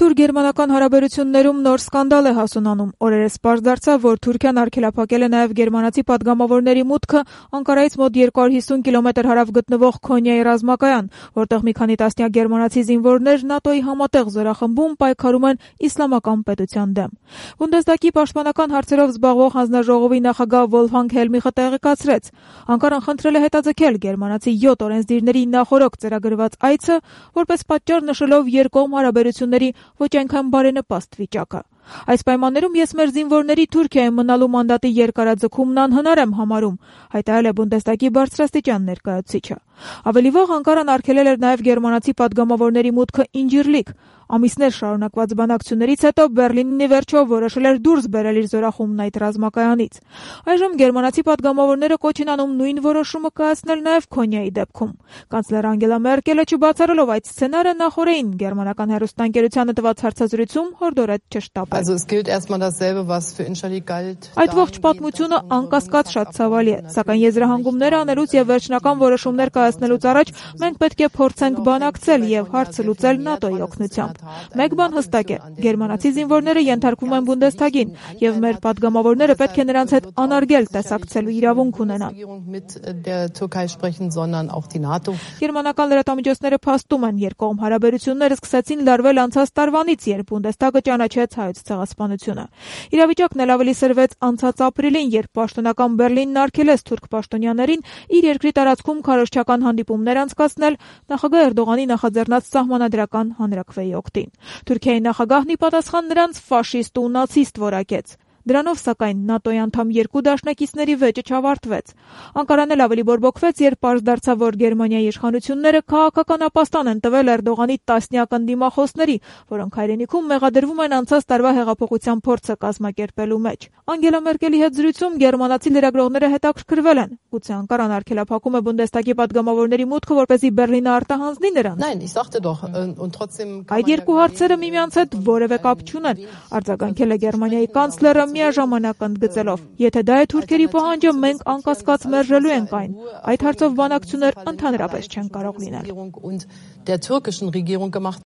Թուրք-գերմանական հարաբերություններում նոր սկանդալ է հասունանում։ Օրերս պարզ դարձավ, որ Թուրքիան արգելափակել է նաև գերմանացի պատգամավորների մուտքը Անկարայից մոտ 250 կիլոմետր հարավ գտնվող Քոնիայի ռազմակայան, որտեղ մի քանի տասնյակ գերմանացի զինվորներ ՆԱՏՕ-ի համատեղ զորախմբում պայքարում են իսլամական պետության դեմ։ Բունդեսդագի պաշտպանական հարցերով զբաղվող հանձնաժողովի նախագահ Վոլֆգանգ Հելմիխը տեղեկացրեց. Անկարան խնդրել է հետաձգել գերմանացի 7 օրենսդիրների նախօրոք ծրագրված այցը, որպես պատճառ նշելով երկկողմ հարաբերությունների ոչ այնքան բարենպաստ վիճակը։ Այս պայմաններում ես մեր զինվորների Թուրքիայում մնալու մանդատի երկարաձգումն անհնար եմ համարում, հայտարարել է Բունդեսդագի բարձրաստիճան ներկայացուցիչը։ Ավելի վաղ Անկարան արգելել էր նաև գերմանացի պատգամավորների մուտքը Ինջիրլիկ։ Ամիսներ շարունակված բանակցություններից հետո Բեռլինն ի վերջո որոշել էր դուրս բերել իր զորախումբն այդ ռազմակայանից։ Այժմ գերմանացի պատգամավորները կոչ են անում նույն որոշումը կայացնել նաև Քոնիայի դեպքում։ Կանցլեր Անգելա Մերկելը չբացառելով այդ սցենարը նախօրեին գերմանական հեռուստաընկերությանը տված հարցազրույցում հորդորեց չշտապել։ Այդ ողջ պատմությունը անկասկած շատ ցավալի է, սակայն եզրահանգումներ անելուց եւ վերջնական որոշումներ կայացնելուց առաջ մենք պետք է փորձենք բանակցել եւ հարցը լուծել ՆԱՏՕ-ի օգնությամբ։ Մեկ բան հստակ է, գերմանացի զինվորները ենթարկվում են Բունդեսթագին եւ մեր պատգամավորները պետք է նրանց հետ անարգել տեսակցելու իրավունք ունենան։ Գերմանական լրատվամիջոցները փաստում են, երկկողմ հարաբերությունները սկսեցին լարվել անցած տարվանից, երբ Բունդեսթագը ճանաչեց հայոց ցեղասպանությունը։ Իրավիճակն էլ ավելի սրվեց անցած ապրիլին, երբ պաշտոնական Բեռլինն արգելեց թուրք պաշտոնյաներին իր երկրի տարածքում քարոզչական հանդիպումներ անցկացնել նախագահ Էրդողանի նախաձեռնած սահմանադրական հանրաքվեի օգտին։ Թուրքիայի նախագահն ի պատասխան նրանց ֆաշիստ ու նացիստ որակեց։ Դրանով, սակայն, ՆԱՏՕ-ի անդամ երկու դաշնակիցների վեճը չավարտվեց։ Անկարանն էլ ավելի բորբոքվեց, երբ պարզ դարձավ, որ Գերմանիայի իշխանությունները քաղաքական ապաստան են տվել Էրդողանի տասնյակ ընդդիմախոսների, որոնք հայրենիքում մեղադրվում են անցած տարվա հեղափոխության փորձը կազմակերպելու մեջ։ Անգելա Մերկելի հետ զրույցում գերմանացի լրագրողները հետաքրքրվել են. գուցե Անկարան արգելափակում է Բունդեսթագի պատգամավորների մուտքը, որպեսզի Բեռլինը արտահանձնի նրանց։ Այդ երկու հարցերը միմյանց հետ որևէ կապ չունեն, արձագանքել է Գերմանիայի կանցլերը միաժամանակ ընդգծելով. եթե դա է թուրքերի պահանջը, մենք անկասկած մերժելու ենք այն։ Այդ հարցով բանակցություններ ընդհանրապես չեն կարող լինել։